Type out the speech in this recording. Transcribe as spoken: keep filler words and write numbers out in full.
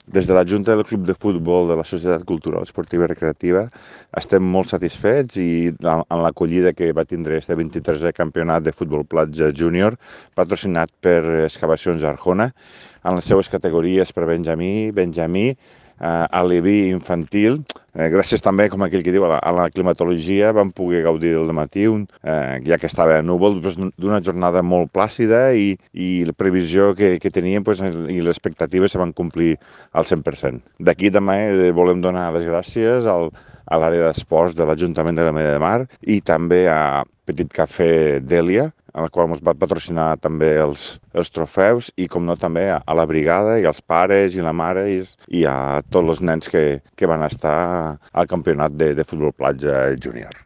Des de la Junta del Club de Futbol de la Societat Cultural Esportiva i Recreativa estem molt satisfets i en l'acollida que va tindre este vint-i-tresè campionat de futbol platja júnior patrocinat per Excavacions Arjona en les seues categories per Benjamí, Benjamí, eh, aleví infantil. Eh, gràcies també, com aquell que diu, a la, a la climatologia vam poder gaudir del matí, un, eh, ja que estava núvol, doncs, d'una jornada molt plàcida i, i la previsió que, que teníem pues, i les expectatives se van complir al cent per cent. D'aquí també eh, volem donar les gràcies al, a l'àrea d'esports de l'Ajuntament de la Mella de Mar i també a Petit Cafè Dèlia, a la qual ens va patrocinar també els, els trofeus i, com no, també a, a la brigada i als pares i la mare i, i a tots els nens que, que van estar al campionat de, de futbol platja júnior.